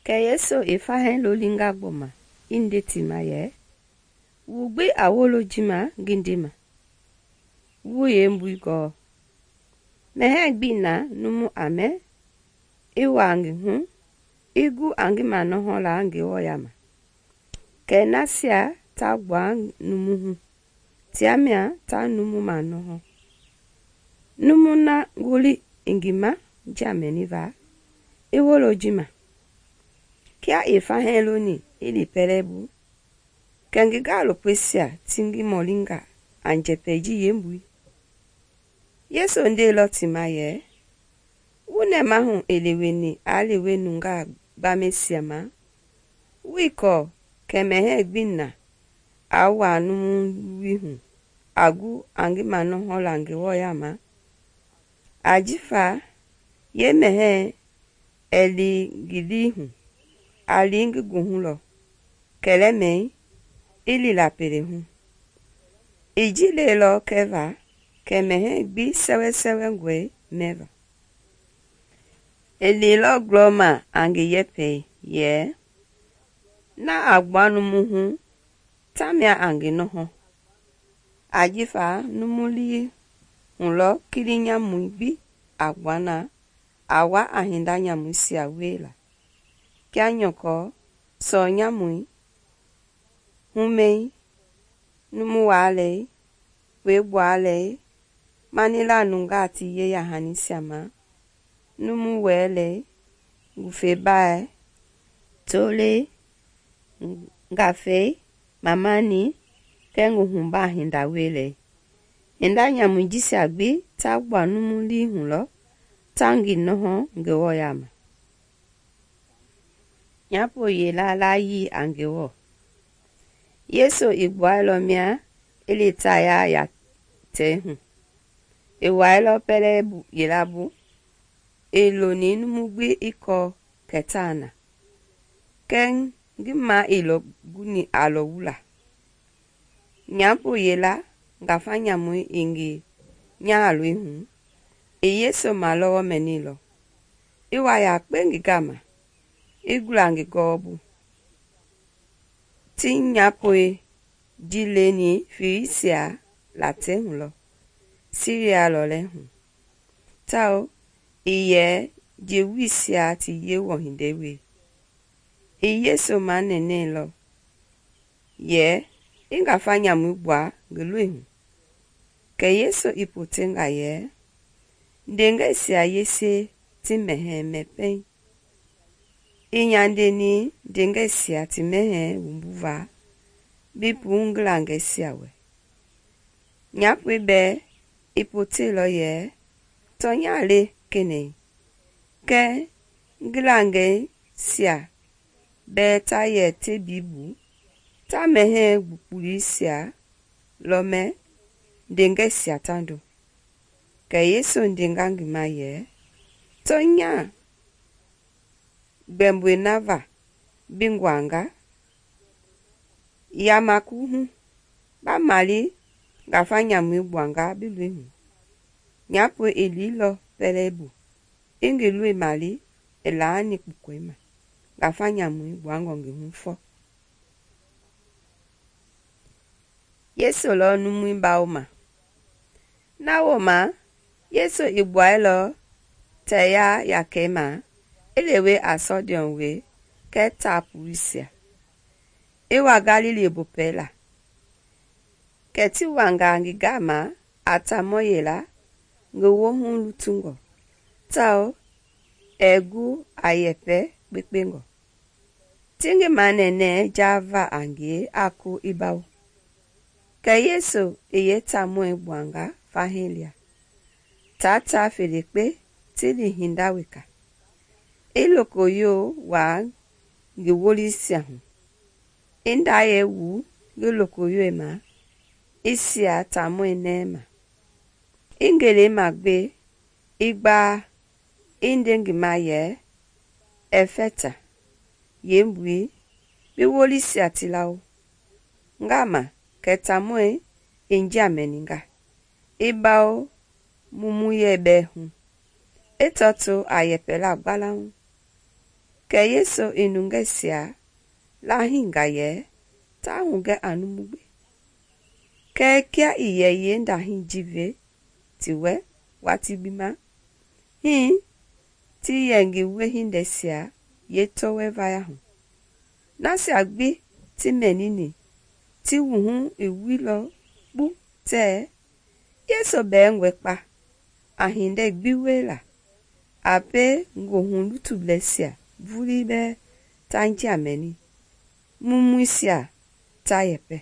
Kɛ Yesu i fahii lolinga gbɔma i nde ti ma yɛ, “Wu gbi a wolo ji ma ngi ndema, wu yeembui gɔɔ. Mɛhɛɛ gbii na numu a mɛ, i wa ngi hu, i gu a ngi manɔhɔ la Ngewɔ yaama. Kɛɛ nasia ta gbua numu hu, tia mia ta numu manɔhɔ. Numu na ngoli i ngi ma njia mɛniva, i wolo ji ma.” Kia i fahii loni i li pɛlɛbu, kɛ ngi gaalopoisia ti ngi mɔlinga a njɛpɛ ji yeembui. Yesu ndeilɔ ti ma yɛ, “Wu nɛmahu i leweni aa lewe nungaa gbamɛisia ma? Wuii kɔɔ kɛ mɛhɛɛ gbii na aa wa numu luwui hu a gu a ngi manɔhɔ la Ngewɔ yaama? Ajifa yeemɛhɛɛ ɛɛ li ngi lii hu, a li ngi goohu lɔ, kɛlɛmɛi i lila pelehu. I ji leilɔ kɛva kɛ mɛhɛɛ gbi sɛwɛsɛwɛngɔe mɛva. I liilɔ glɔma a ngi yɛpɛi yɛ, ‘Na a gbua numu hu, tamia a ngi nɔhɔ.’ Ajifa numu lii hu lɔ kili nyamui gbi a gbua na a wa a hinda nyamuisia wiela, kia nyɔkɔ, sɔɔ nyamui, humɛi, numu waalɛi, puegbualɛi, manila nungaa ti yeya-hanisia ma, numu wɛlɛi, ngufebaa, tolei, ngafei, mamani, kɛɛ nguhubaa hinda wielei. Hinda nyamui jisia gbi ta gbua numu lii hu lɔ ta ngi nɔhɔ Ngewɔ yaama.” Nyapo yela layii a Ngewɔ. Yesu i gbuailɔ mia i li Taya yatei hu. I wailɔ pɛlɛbu yela bu, i loni numu gbi i kɔɔ kɛ taa na, kɛɛ ngi ma ii lɔ guni a lɔ wula. Nyapo yela ngafa nyamui i ngi nyahaloi hu, i Yesu malɔwɔ mɛnilɔ, i wa yakpe ngi gama, i gula ngi gɔɔbu. Ti nyapoi ji leni Filisia latei hu lɔ, Siria lɔlei hu, tawao i yɛ Jewuisia ti Yewɔ hindei wie. I Yesu manɛnɛilɔ yɛ i ngafa nyamui gbua ngi loi hu. Kɛ Yesu i potenga yɛ, ndeengɛisia yese ti mɛhɛɛ mɛ pɛiŋ. I nyandeni ndeengɛisia ti mɛhɛɛ wumbuva bi puu ngi langɛisia wɛ. Nyapoi bɛɛ i potenlɔ yɛ, tɔnya le kenɛi, kɛɛ ngi langɛisia bɛɛ ta yɛ tebii bu, ta mɛhɛɛ gbukpulisia lɔ mɛ ndeengɛisia tando. Kɛ Yesu ndenga ngi ma yɛ, tɔnya gbɛmboi na va bi nguanga, yamakuhu ba mali ngafa nyamui gbuanga bi loi hu. Nyapoi i liilɔ pɛlɛbu, i ngi loi mali i laani kpukɔi ma, ngafa nyamui gbuangɔ ngi hu fɔ. Yesu lɔ numui bawoma. Na wooma, Yesu i gbuailɔ Taya yakei ma i lewe a Sɔdiɔn we kɛɛ taapuluisia, i wa Galili bopɛi la. Kɛ ti wanga ngi gama a taamɔ yela ngi woohu lutungɔ, tawao ɛɛ gu a yɛpɛ kpekpengɔ. Ti ngi manɛnɛɛ jaava a ngie a ko i bawo. Kɛ Yesu i yeetaamɔi gbuanga fahii lia, taa ta felekpe ti li hinda weka, i lokoyo waa ngi wolisia hu, i ndayɛi wuu ngi lokoyoi ma, i sia taamɔi nɛɛ ma. I ngelei magbe, i gbaa, i nde ngi ma yɛ, Ɛfɛta, yeembui, bi wolisia ti lawo. Ngama kɛ taamɔi i njia mɛninga, i bawo mumuyɛ bɛɛ hu, i tɔto a yɛpɛla gbalaŋ. Kɛ Kɛ Yesu i nungɛisia lahinga yɛ ta hugɛ a numu gbi. Kɛɛ kia i yɛ yeendahii ji ve ti wɛ watii gbi ma, hii ti yɛ ngi wiehindɛisia yeetɔwɔi vaya hu. Nasia gbi ti mɛnini ti wuhu i wuilɔ kpu tɛɛ Yesu bɛɛ wɛkpa a hindei gbi wiela a pie goohu lutublɛisia vulii bɛɛ ta njia mɛni, mumuisia ta yɛpɛ.